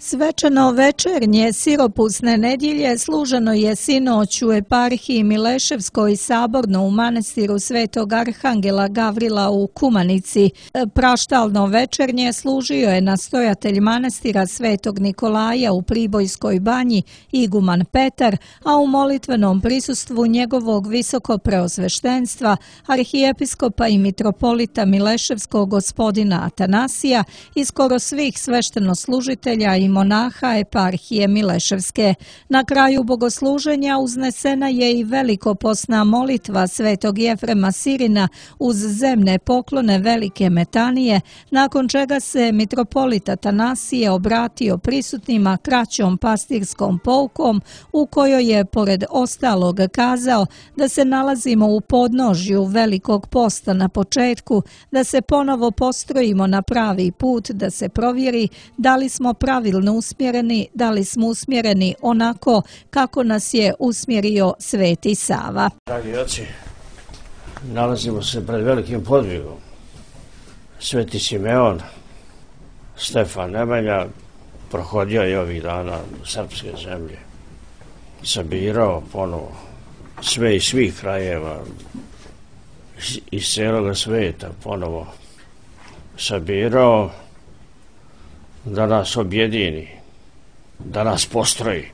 Svečano večernje siropusne nedjelje služeno je sinoć u eparhiji Mileševskoj saborno u manastiru Svetog Arhangela Gavrila u Kumanici. Praštalno večernje služio je nastojatelj manastira Svetog Nikolaja u Pribojskoj banji iguman Petar, a u molitvenom prisustvu njegovog visokopreosveštenstva arhijepiskopa i mitropolita Mileševskog gospodina Atanasija i skoro svih sveštenoslužitelja i monaha eparhije Mileševske. Na kraju bogosluženja uznesena je i velikopostna molitva Svetog Jefrema Sirina uz zemne poklone Velike Metanije, nakon čega se mitropolit Atanasije obratio prisutnima kraćom pastirskom poukom u kojoj je pored ostalog kazao da se nalazimo u podnožju Velikog posta na početku, da se ponovo postrojimo na pravi put, da se provjeri da li smo pravilno usmjereni, da li smo usmjereni onako kako nas je usmjerio Sveti Sava. Dragi oci, nalazimo se pred velikim podvigom. Sveti Simeon, Stefan Nemanja, prohodio je ovih dana srpske zemlje. Sabirao ponovo sve iz svih krajeva, iz cijeloga svijeta ponovo sabirao da nas objedini, da nas postroji.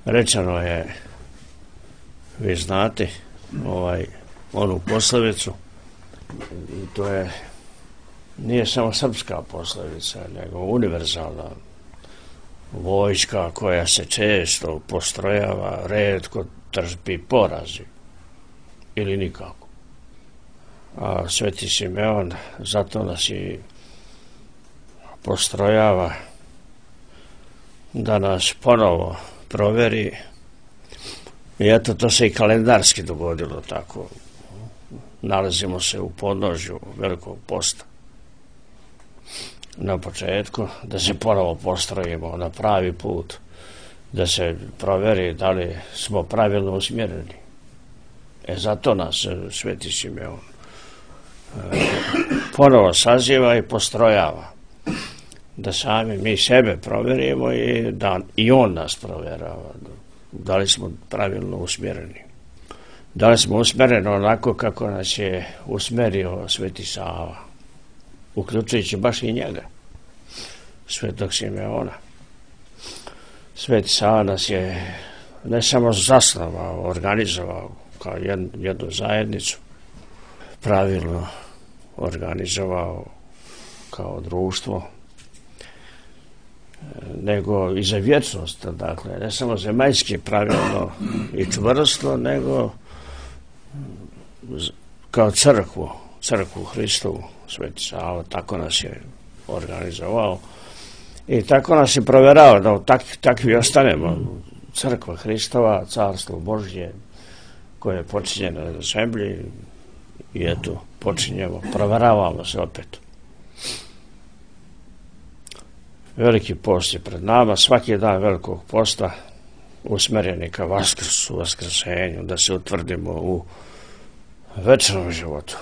Rečeno je, vi znate, onu poslovicu, i to nije samo srpska poslovica, nego univerzalna. Vojska koja se često postrojava, retko trpi porazi ili nikako. A Sveti Simeon zato nas i postrojava da nas ponovo proveri. I eto, to se i kalendarski dogodilo tako. Nalazimo se u podnožju Velikog posta. Na početku, da se ponovo postrojimo na pravi put, da se proveri da li smo pravilno usmjereni. Zato nas Sveti Simeon ponovo saziva i postrojava. Da sami mi sebe provjerimo i da i on nas provjerava. Da li smo pravilno usmjereni. Da li smo usmjereni onako kako nas je usmjerio Sveti Sava, uključujući baš i njega, Svetog Simeona. Sveti Sava nas je ne samo zasnovao, organizovao kao jednu zajednicu, pravilno organizovao kao društvo, nego i za vječnost, dakle, ne samo zemaljski pravilno i čvrsto, nego kao crkvu Hristovu, Sveti Sava, tako nas je organizovao i tako nas je provjerao da takvi ostanemo. Crkva Hristova, Carstvo Božje, koje je počinjeno na zemlji, i eto, počinjemo, provjeravamo se opet. Veliki post je pred nama, svaki dan Velikog posta usmjeren je ka Vaskrsu, Vaskrsenju, da se utvrdimo u večnom životu.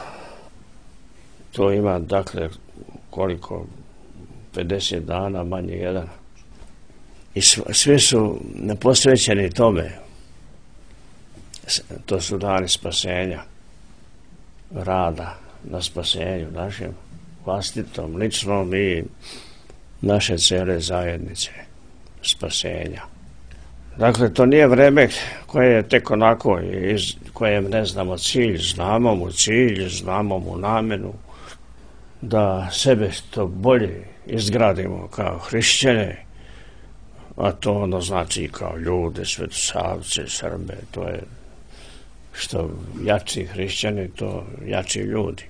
To ima, dakle, koliko? 50 dana, manje jedan. I svi su posvećeni tome. To su dani spasenja, rada na spasenju našem, vlastitom, ličnom i naše cijele zajednice spasenja. Dakle, to nije vreme koje je tek onako, kojem ne znamo cilj, znamo mu cilj, znamo mu namenu, da sebe što bolje izgradimo kao hrišćane, a to ono znači kao ljude, svetosavce, Srbe, to je što jači hrišćani, to jači ljudi.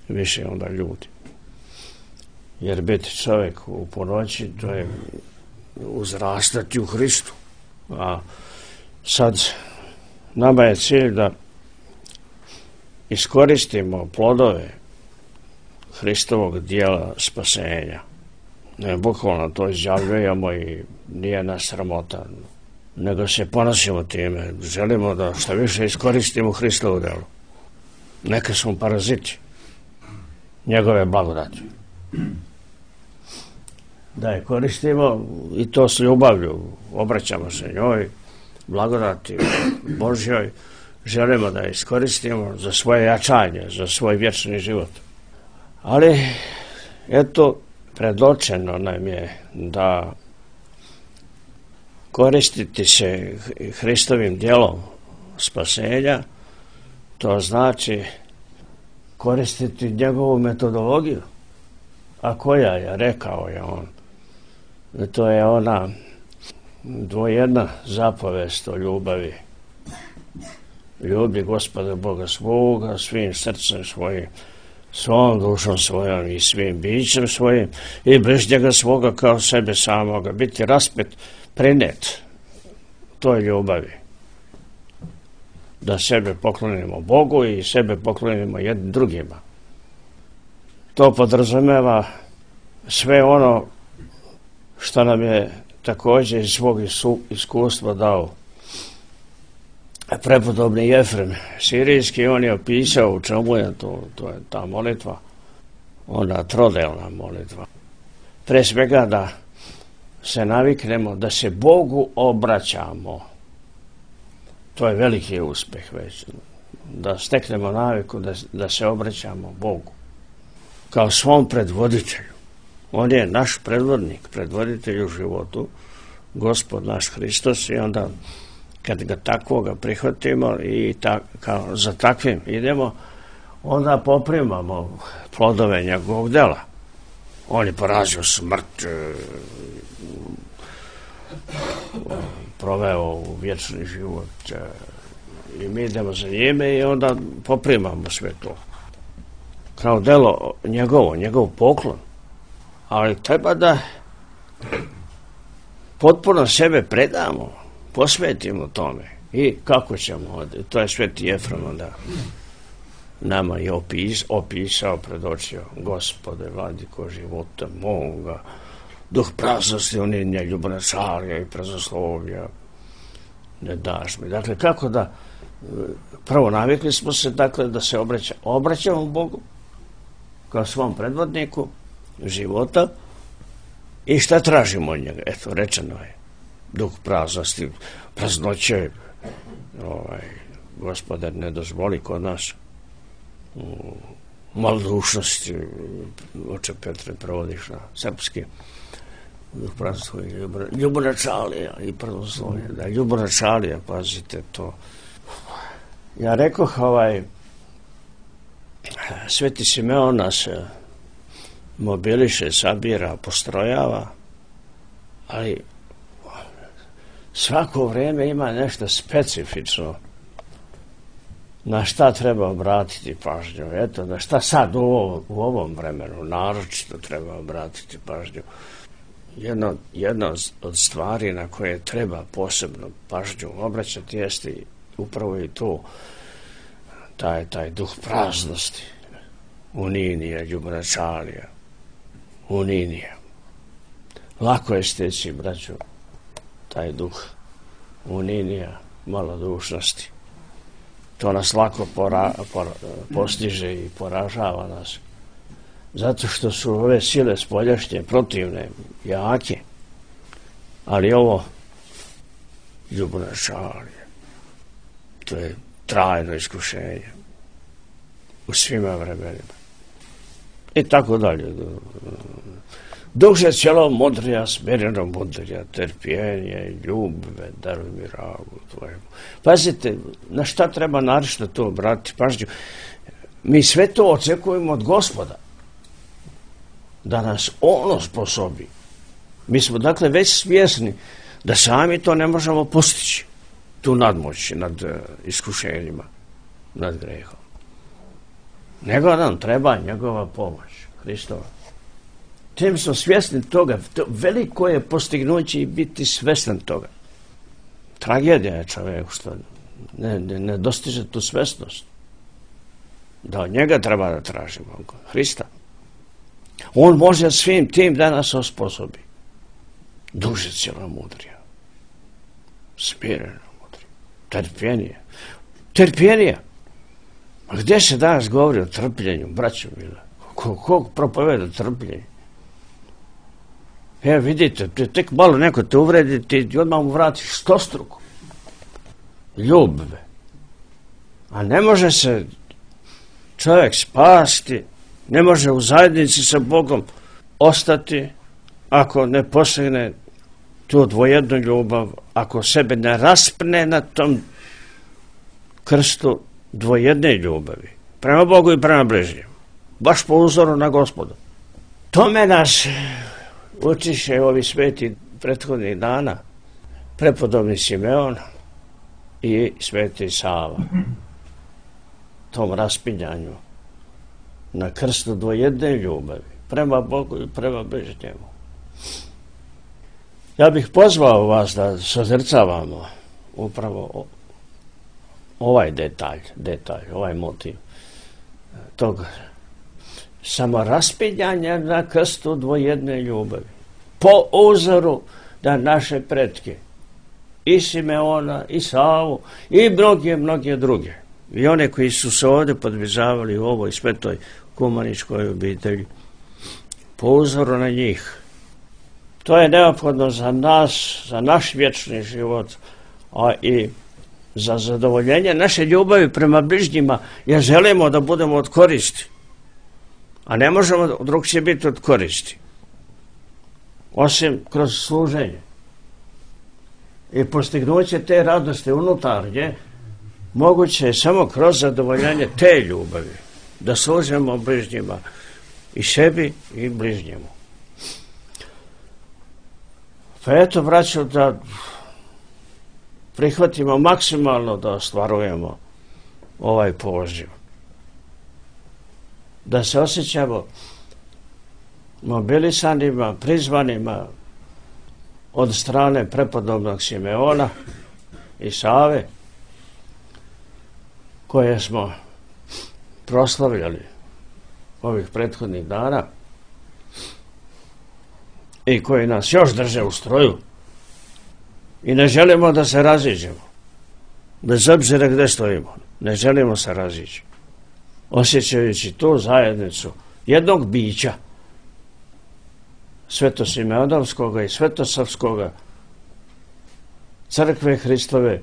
Više onda ljudi. Jer biti čovjek u ponoći, to je uzrastati u Hristu. A sad nama je cilj da iskoristimo plodove Hristovog dijela spasenja. Ne, bukvalno to izjavljujemo i nije nas sramota, nego se ponosimo time. Želimo da što više iskoristimo Hristovu djelo. Neka smo paraziti. njegove blagodati. Da je koristimo i to s ljubavlju, obraćamo se njoj, blagodati Božjoj, želimo da je iskoristimo za svoje jačanje, za svoj vječni život. Ali, eto, predočeno nam je da koristiti se Hristovim djelom spasenja, to znači koristiti njegovu metodologiju. A koja je, rekao je on, to je ona dvojedna zapovest o ljubavi. Ljubi Gospoda Boga svoga svim srcem svojim, svom dušom svojom i svim bićem svojim i bližnjega svoga kao sebe samoga. Biti raspet, prinet toj ljubavi. Da sebe poklonimo Bogu i sebe poklonimo jednim drugima. To podrazumeva sve ono što nam je također iz svog iskustva dao prepodobni Jefrem Sirijski. On je opisao u čemu je to je ta molitva, ona trodelna molitva. Pre svega da se naviknemo da se Bogu obraćamo. To je veliki uspjeh već. Da steknemo naviku da se obraćamo Bogu kao svom predvoditelju. On je naš predvodnik, predvoditelj u životu, Gospod naš Hristos, i onda kad ga takvoga prihvatimo i za takvim idemo, onda poprimamo plodove njegovog dela. On je porazio smrt, proveo u vječni život i mi idemo za njime i onda poprimamo sve to. Kao delo njegov poklon. Ali treba da potpuno sebe predamo, posvetimo tome. I kako ćemo? To je sveti Jefrem onda nama je opisao, predočio: Gospode, vladiko života moga, duh praznosti, uninja, ljubomočarja i prazoslovlja ne daš mi. Dakle, kako da prvo navikli smo se, dakle, da se obraćamo Bogu kao svom predvodniku života. I šta tražimo od njega? Eto, rečeno je: duh praznosti, praznoće, Gospodar, ne dozvoli kod nas malodušnosti, oče Petre prevodiš na srpski, duh praznosti, ljubomočarja i prazoslovlja. Da, ljubomočarja, pazite to. Ja rekoh, sveti Simeon nas mobiliše, sabira, postrojava, ali svako vrijeme ima nešto specifično na šta treba obratiti pažnju. Eto, na šta sad u ovom vremenu naročito treba obratiti pažnju. Jedna od stvari na koje treba posebno pažnju obraćati jeste upravo i to, taj duh praznosti, uninija, ljubomočarja, uninija. Lako je steći, braćo, taj duh uninija, malodušnosti. To nas lako postiže i poražava nas. Zato što su ove sile spoljašnje, protivne, jake. Ali ovo ljubomočarje, to je trajno iskušenje u svima vremenima. I tako dalje. Duše cijelo mudrija, smireno mudrija, trpljenje, ljubve, daruj mi ragu tvojemu. Pazite, na šta treba naročito to obratiti pažnju? Mi sve to očekujemo od Gospoda, da nas on osposobi. Mi smo dakle već svjesni da sami to ne možemo postići, tu nadmoć nad iskušenjima, nad grehom. Nego nam treba njegova pomoć, Hristova. Tim smo svjesni toga, veliko je postignuće i biti svjestan toga. Tragedija je čovjeku što ne dostiže tu svjesnost. Da od njega treba da tražimo, Hrista. On može svim tim da nas osposobi. Duže cijelo mudrija, smireno mudrija, trpljenije. A gdje se danas govori o trpljenju, braćo mila? Kog propoveda trpljenje? Vidite, tek malo neko te uvredi, ti odmah mu vratiš stostruko. Ljubav. A ne može se čovjek spasti, ne može u zajednici sa Bogom ostati ako ne posegne tu dvojednu ljubav, ako sebe ne raspne na tom krstu dvojedne ljubavi, prema Bogu i prema bližnjemu, baš po uzoru na Gospoda. Tome nas učiše ovi sveti prethodnih dana, prepodobni Simeon i sveti Sava, tom raspinjanju na krstu dvojedne ljubavi, prema Bogu i prema bližnjemu. Ja bih pozvao vas da sozrcavamo upravo ovaj detalj, ovaj motiv tog samoraspinjanja na krstu dvojedne ljubavi. Po uzoru na naše pretke, i Simeona, i Savu, i mnoge druge. I one koji su se ovdje podvizavali u ovoj svetoj kumaničkoj obitelji. Po uzoru na njih. To je neophodno za nas, za naš vječni život, a i za zadovoljenje naše ljubavi prema bližnjima, jer želimo da budemo od koristi. A ne možemo drugčije biti od koristi. Osim kroz služenje. I postignuće te radosti unutarnje moguće je samo kroz zadovoljenje te ljubavi. Da služimo bližnjima i sebi i bližnjemu. Pa eto, braćo, da prihvatimo maksimalno da ostvarujemo ovaj poziv. Da se osjećamo mobilisanima, prizvanima od strane prepodobnog Simeona i Save, koje smo proslavljali ovih prethodnih dana i koji nas još drže u stroju i ne želimo da se raziđemo. Bez obzira gdje stojimo, ne želimo se razići. Osjećajući tu zajednicu jednog bića, Svetosimeonovskoga i Svetosavskoga, crkve Hristove,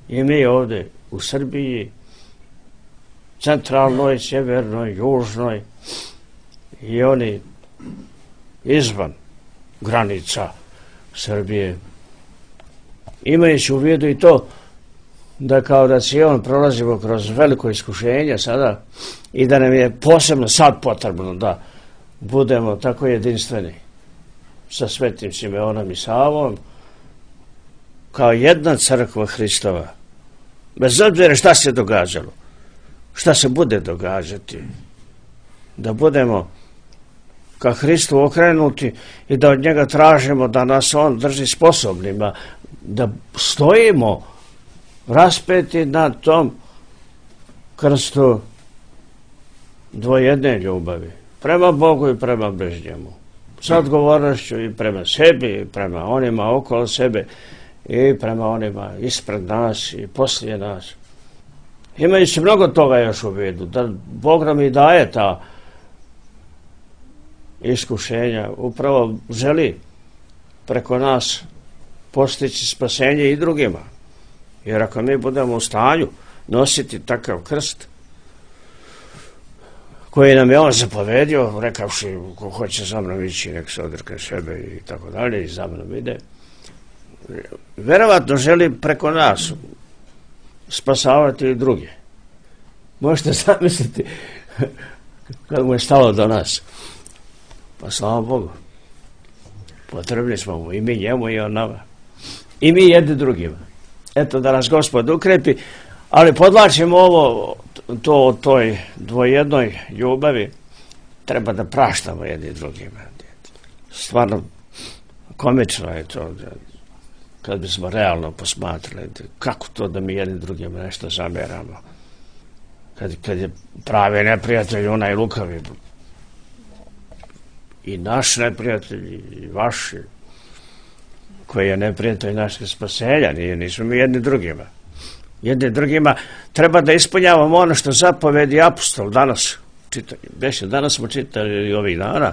i mi ovdje u Srbiji, centralnoj, sjevernoj, južnoj, i oni izvan granica Srbije. Imajući u vidu i to da kao da Sion prolazimo kroz veliko iskušenje sada i da nam je posebno sad potrebno da budemo tako jedinstveni sa svetim Simeonom i Savom kao jedna crkva Hristova. Bez obzira šta se događalo, šta se bude događati, da budemo ka Hristu okrenuti i da od njega tražimo da nas on drži sposobnima, da stojimo raspeti na tom krstu dvojedne ljubavi, prema Bogu i prema bližnjemu, sa odgovornošću i prema sebi, i prema onima okolo sebe, i prema onima ispred nas i poslije nas. Imajući mnogo toga još u vidu, da Bog nam i daje ta iskušenja, upravo želi preko nas postići spasenje i drugima. Jer ako mi budemo u stanju nositi takav krst koji nam je on zapovedio, rekavši ko hoće za mnom ići, nek se odrekne sebe i tako dalje, i za mnom ide, verovatno želi preko nas spasavati i druge. Možete zamisliti kad mu je stalo do nas. Pa slava Bogu, potrebni smo mu i mi njemu i on nama. I mi jedni drugima. Eto, da nas Gospod ukrepi, ali podlačimo ovo, to o toj dvojednoj ljubavi, treba da praštamo jedni drugima. Stvarno, komično je to, kad bismo realno posmatrali, kako to da mi jedni drugima nešto zameramo. Kad je pravi neprijatelj, onaj lukavi, i naš neprijatelj, i vaš, koji je neprijatelj našeg spasenja, nismo mi jedni drugima. Jedni drugima treba da ispunjavamo ono što zapovedi apostol danas danas smo čitali ovih dana,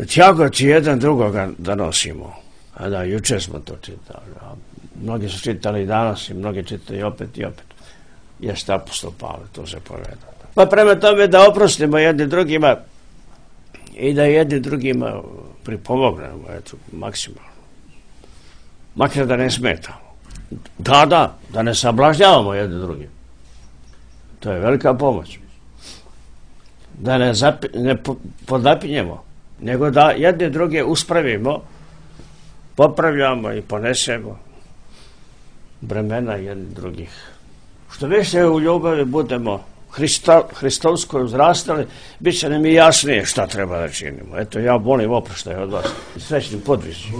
tjagoći jedan drugoga da nosimo. A da, jučer smo to čitali. Mnogi su čitali i danas i mnogi čitali opet i opet. Jeste apostol Pavle, to se poveda. Pa prema tome da oprostimo jedni drugima i da jedni drugima pripomognemo, eto, maksimalno. Makar da ne smetamo. Da ne sablažnjavamo jedni drugim. To je velika pomoć. Da ne podapinjemo, nego da jedne druge uspravimo, popravljamo i ponesemo bremena jednih drugih. Što više u ljubavi budemo hristovsko uzrastali, bit će nam i jasnije šta treba da činimo. Eto, ja molim oproštaj od vas. Srećnim podvižima.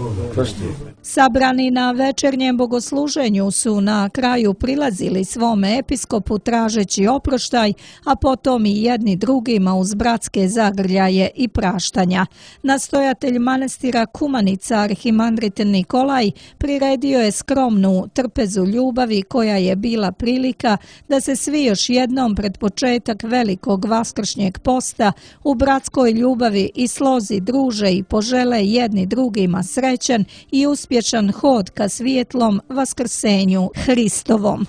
Sabrani na večernjem bogosluženju su na kraju prilazili svome episkopu tražeći oproštaj, a potom i jedni drugima uz bratske zagrljaje i praštanja. Nastojatelj manastira Kumanica, arhimandrit Nikolaj, priredio je skromnu trpezu ljubavi koja je bila prilika da se svi još jednom pred početak velikog vaskršnjeg posta u bratskoj ljubavi i slozi druže i požele jedni drugima srećan i uspješan hod ka svijetlom vaskrsenju Hristovom.